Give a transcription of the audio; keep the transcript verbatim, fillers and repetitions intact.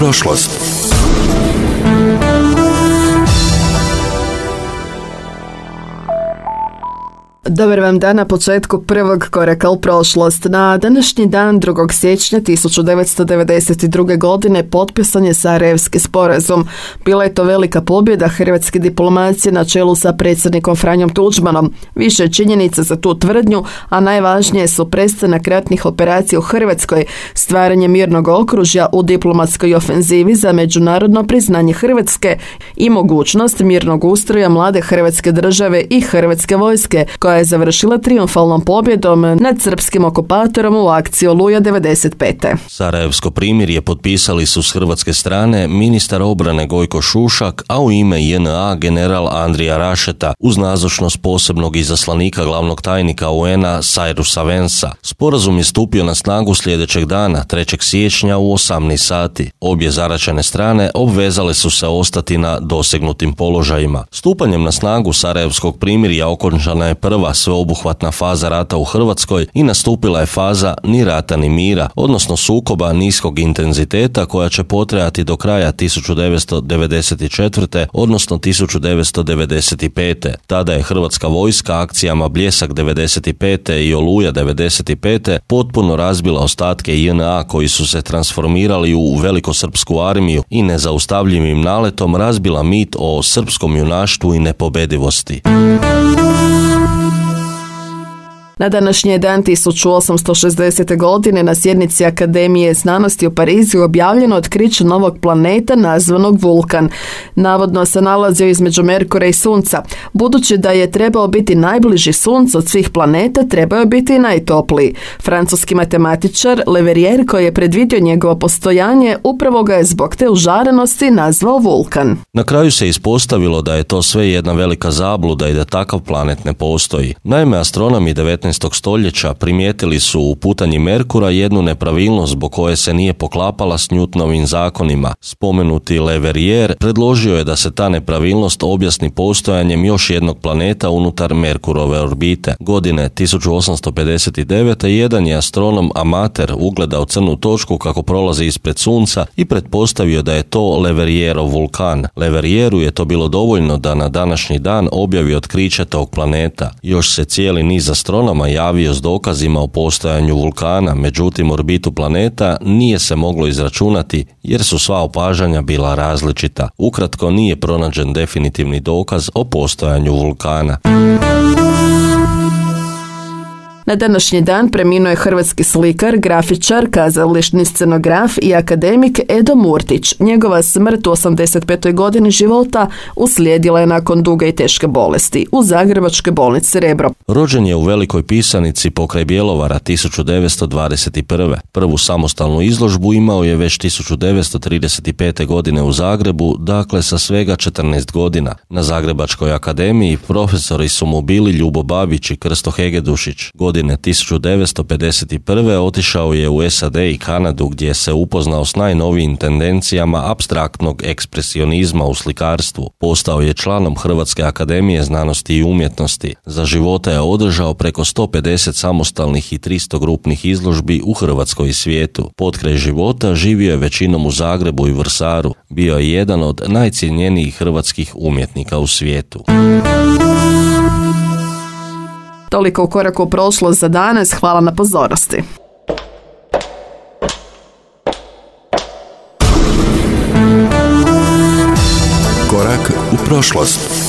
prošlost. Dobar vam dan na početku prvog koraka u prošlost. Na današnji dan drugog siječnja tisuću devetsto devedeset druge. godine potpisan je Sarajevski sporazum. Bila je to velika pobjeda hrvatske diplomacije na čelu sa predsjednikom Franjom Tuđmanom. Više je činjenica za tu tvrdnju, a najvažnije su prestanak ratnih operacija u Hrvatskoj, stvaranje mirnog okružja u diplomatskoj ofenzivi za međunarodno priznanje Hrvatske i mogućnost mirnog ustroja mlade Hrvatske države i Hrvatske vojske, koja je završila trijumfalnom pobjedom nad srpskim okupatorom u akciji Oluja devedeset pete. Sarajevsko primirje potpisali su s hrvatske strane ministar obrane Gojko Šušak, a u ime J N A general Andrija Rašeta uz nazočnost posebnog izaslanika glavnog tajnika U N A Cyrus Vanesa. Sporazum je stupio na snagu sljedećeg dana, trećeg siječnja u osamnaest sati. Obje zaraćene strane obvezale su se ostati na dosegnutim položajima. Stupanjem na snagu Sarajevskog primirja okončana je prva sveobuhvatna faza rata u Hrvatskoj i nastupila je faza ni rata ni mira, odnosno sukoba niskog intenziteta koja će potrajati do kraja tisuću devetsto devedeset četvrte. odnosno tisuću devetsto devedeset pete. Tada je hrvatska vojska akcijama Bljesak devedeset pete i Oluja devedeset pete potpuno razbila ostatke J N A koji su se transformirali u velikosrpsku armiju i nezaustavljivim naletom razbila mit o srpskom junaštvu i nepobedivosti. Na današnji dan tisuću osamsto šezdesete. godine na sjednici Akademije znanosti u Parizu objavljeno otkriće novog planeta nazvanog Vulkan. Navodno se nalazio između Merkura i Sunca. Budući da je trebao biti najbliži Suncu od svih planeta, trebao je biti i najtopliji. Francuski matematičar Leverrier, koji je predvidio njegovo postojanje, upravo ga je zbog te užarenosti nazvao Vulkan. Na kraju se ispostavilo da je to sve jedna velika zabluda i da takav planet ne postoji. Naime, astronomi devetnaestog stoljeća primijetili su u putanji Merkura jednu nepravilnost zbog koje se nije poklapala s Newtonovim zakonima. Spomenuti Leverrier predložio je da se ta nepravilnost objasni postojanjem još jednog planeta unutar Merkurove orbite. Godine tisuću osamsto pedeset devete. jedan je astronom amater ugledao crnu točku kako prolazi ispred Sunca i pretpostavio da je to Leverrierov vulkan. Leverrieru je to bilo dovoljno da na današnji dan objavi otkriće tog planeta. Još se cijeli niz astronoma javio s dokazima o postojanju vulkana, međutim orbitu planeta nije se moglo izračunati jer su sva opažanja bila različita. Ukratko, nije pronađen definitivni dokaz o postojanju vulkana. Na današnji dan preminuo je hrvatski slikar, grafičar, kazališni scenograf i akademik Edo Murtić. Njegova smrt u osamdeset petoj. godini života uslijedila je nakon duge i teške bolesti u Zagrebačkoj bolnici Rebro. Rođen je u Velikoj Pisanici pokraj Bjelovara tisuću devetsto dvadeset prve. Prvu samostalnu izložbu imao je već tisuću devetsto trideset pete. godine u Zagrebu, dakle sa svega četrnaest godina. Na Zagrebačkoj akademiji profesori su mu bili Ljubo Babić i Krsto Hegedušić. Godine tisuću devetsto pedeset prve. otišao je u S A D i Kanadu gdje se upoznao s najnovijim tendencijama apstraktnog ekspresionizma u slikarstvu. Postao je članom Hrvatske akademije znanosti i umjetnosti. Za života je održao preko sto pedeset samostalnih i tristo grupnih izložbi u Hrvatskoj i svijetu. Potkraj života živio je većinom u Zagrebu i Vrsaru. Bio je jedan od najcijenjenijih hrvatskih umjetnika u svijetu. Toliko u koraku u prošlost za danas. Hvala na pozornosti. Korak u prošlost.